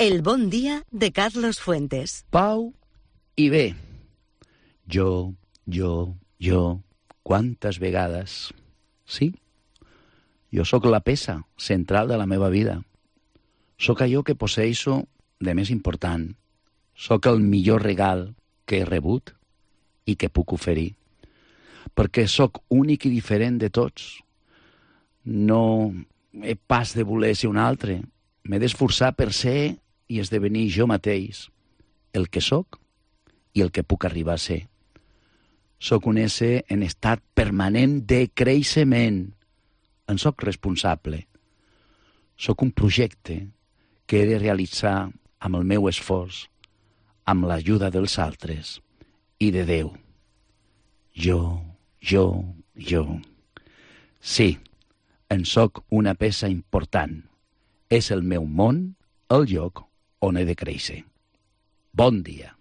El bon dia de Carlos Fuentes. Pau i bé. Jo, quantes vegades... Sí, jo sóc la peça central de la meva vida. Sóc allò que posseixo de més important. Sóc el millor regal que he rebut i que puc oferir. Perquè sóc únic i diferent de tots. No he pas de voler ser un altre. M'he d'esforçar per ser i esdevenir jo mateix, el que sóc i el que puc arribar a ser. Sóc un ésser en estat permanent de creixement. En sóc responsable. Sóc un projecte que he de realitzar amb el meu esforç, amb l'ajuda dels altres i de Déu. Jo. Sí, en sóc una peça important. És el meu món, el lloc on he de créixer. Bon dia.